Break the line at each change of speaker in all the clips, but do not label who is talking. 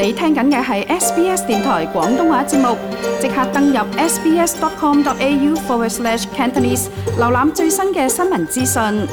你聽緊嘅係 SBS 電台廣東話節目，即刻登入 sbs.com.au/Cantonese 瀏覽最新嘅新聞資訊。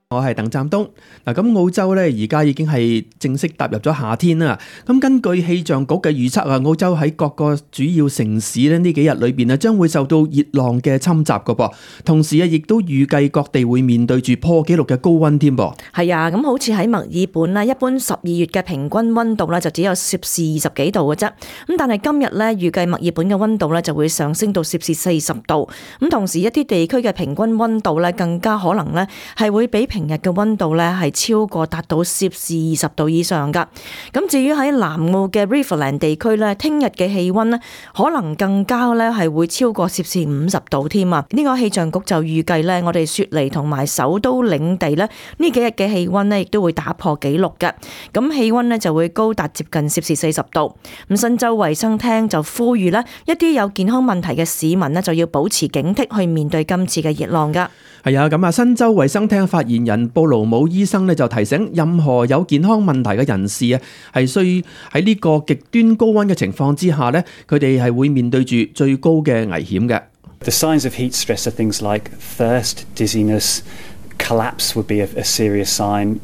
我係鄧湛東。咁澳洲咧而家已經係正式踏入咗夏天啦。咁根據氣象局嘅預測啊，澳洲喺各個主要城市咧呢幾日裏邊啊，將會受到熱浪嘅侵襲噶噃。同時啊，亦都預計各地會面對住破紀錄嘅高溫添噃。
係啊，咁好似喺墨爾本咧，一般12月嘅平均溫度咧就只有攝氏20幾度嘅啫。咁但係今日咧預計墨爾本嘅溫度咧就會上升到攝氏40度。咁同時一啲地區嘅平均溫度咧更加可能咧係會比平日嘅溫度咧係超過達到攝氏20度以上噶。咁至於喺南澳嘅 Riverland 地區咧，聽日嘅氣溫咧可能更加咧係會超過攝氏50度添啊！呢個氣象局就預計咧，我哋雪梨同埋首都領地咧呢幾日嘅氣溫咧亦都會打破紀錄嘅。咁氣溫咧就會高達接近攝氏40度。咁新州衛生廳就呼籲咧一啲有健康問題嘅市民咧就要保持警惕去面對今次嘅熱浪噶。
係啊，咁啊，新州衛生廳發言人布勞姆醫生咧就提醒，任何有健康問題嘅人士啊，係需喺呢個極端高溫嘅情況之下咧，佢哋係會面對住最高嘅危險嘅。
The signs of heat stress are things like thirst, dizziness, collapse would be a serious sign.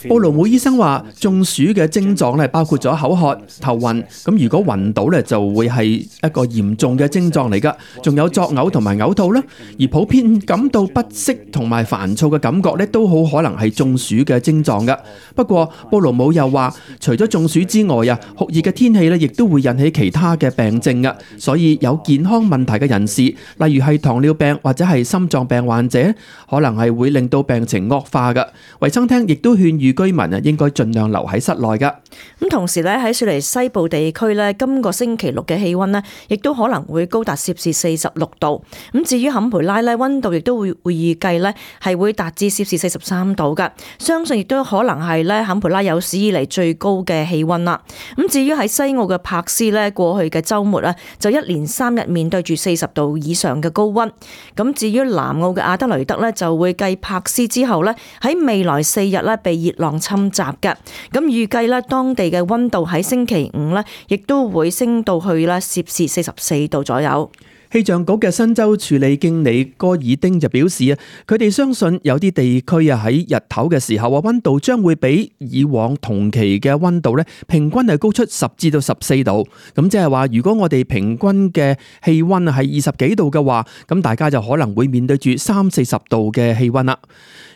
布勞姆醫生話，中暑嘅症狀咧包括咗口渴、頭暈，咁如果暈倒咧就會係一個嚴重嘅症狀嚟噶，仲有作嘔同埋嘔吐啦，而普遍感到不適同埋煩躁嘅感覺咧都好可能係中暑嘅症狀噶。不過布勞姆又話，除咗中暑之外啊，酷熱嘅天氣咧亦都會引起其他嘅病症噶，所以有健康問題嘅人士，例如係糖尿病或者係心臟病患者，可能係會令到病情惡化噶。衛生廳亦都勸喻居民啊，應該盡量留喺室內噶。
咁同時咧喺雪梨西部地區咧，今個星期六嘅氣溫咧，亦都可能會高達攝氏46度。咁至於坎培拉咧，溫度亦都會預計咧係會達至攝氏43度噶。相信亦都可能係咧坎培拉有史以嚟最高嘅氣溫啦。咁至於喺西澳嘅柏斯咧，過去嘅週末咧就一連3日面對住40度以上嘅高溫。咁至於南澳嘅阿德雷德咧，就會繼柏斯之後咧喺未來4日咧被熱浪侵襲嘅。咁預計咧當地嘅溫度喺星期5咧，亦都會升到去咧攝氏44度左右。
氣象局嘅新州處理經理戈爾丁就表示啊，佢哋相信有啲地區啊喺日頭嘅時候啊，溫度將會比以往同期嘅溫度咧平均係高出10至到14度。咁即係話，如果我哋平均嘅氣溫係20幾度嘅話，咁大家就可能會面對住30-40度嘅氣溫啦。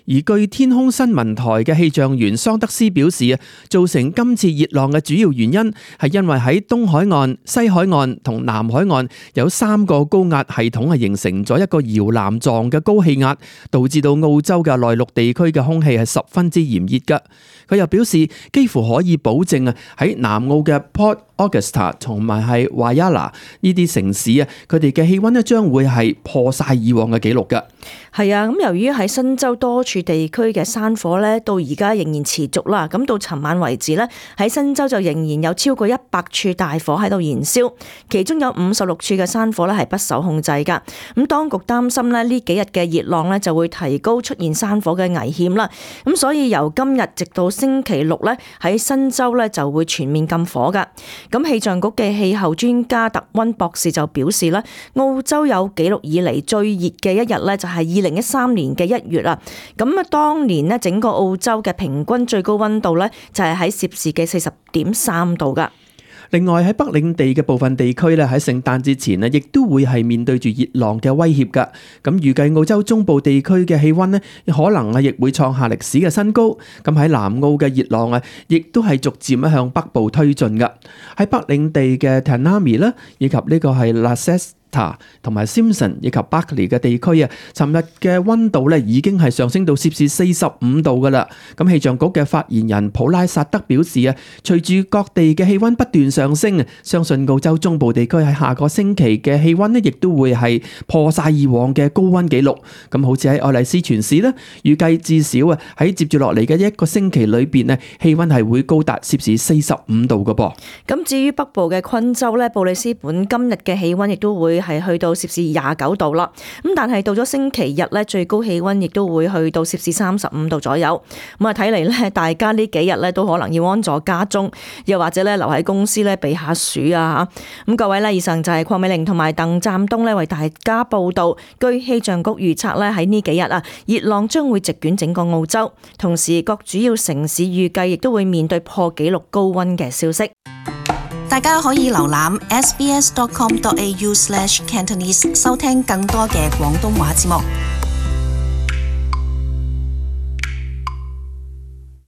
而據天空新聞台嘅氣象員桑德斯表示啊，造成今次熱浪嘅主要原因係因為喺東海岸、西海岸同南海岸有3個高壓系統係形成咗一個搖籃狀嘅高氣壓，導致到澳洲嘅內陸地區嘅空氣係十分之炎熱㗎。佢又表示，幾乎可以保證啊，喺南澳嘅 Port Augusta 同埋係 Whyalla 呢啲城市啊，佢哋嘅氣溫咧將會係破晒以往嘅紀錄㗎。
係啊，咁由於喺新州多處地區嘅山火咧，到而家仍然持續啦。咁到尋晚為止咧，喺新州就仍然有超過100處大火喺度燃燒，其中有56處嘅山火咧係不受控制㗎。咁當局擔心咧呢幾日嘅熱浪咧就會提高出現山火嘅危險啦。咁所以由今日直到星期6咧，喺新州咧就會全面禁火㗎。咁氣象局嘅氣候專家特溫博士就表示咧，澳洲有紀錄以嚟最熱嘅一日咧，就係2013年嘅1月啦。咁啊，當年咧整個澳洲嘅平均最高溫度咧，就係喺攝氏嘅40.3度㗎。
另外喺北領地嘅部分地區咧，喺聖誕節前咧，亦都會係面對住熱浪嘅威脅㗎。咁預計澳洲中部地區嘅氣溫咧，可能啊亦會創下歷史嘅新高。咁喺南澳嘅熱浪啊，亦都係逐漸向北部推進㗎。喺北領地嘅 Tanami 啦，以及呢個係 Lasses同埋 Simpson 以及 Barkly 嘅地區啊，尋日嘅溫度咧已經係上升到攝氏45度噶啦。咁氣象局嘅發言人普拉薩德表示啊，隨住各地嘅氣溫不斷上升啊，相信澳洲中部地區喺下個星期嘅氣溫咧，亦都會係破晒以往嘅高溫紀錄。咁好似喺愛麗絲全市咧，預計至少啊喺接住落嚟嘅一個星期裏邊咧，氣溫係會高達攝氏45度噶噃。
咁至於北部嘅昆州咧，布里斯本今日嘅氣溫亦都會係去到攝氏29度啦。咁但係到咗星期日咧，最高氣溫亦都會去到攝氏35度左右。咁啊睇嚟咧，大家呢幾日咧都可能要安坐家中，又或者咧留喺公司咧避下暑啊嚇。咁各位咧，以上就係鄺美玲同埋鄧湛東咧為大家報道。據氣象局預測咧，喺呢幾日啊，熱浪將會席捲整個澳洲，同時各主要城市預計亦都會面對破紀錄高溫嘅消息。
大家可以瀏覽 sbs.com.au/Cantonese 收聽更多嘅廣東話節目。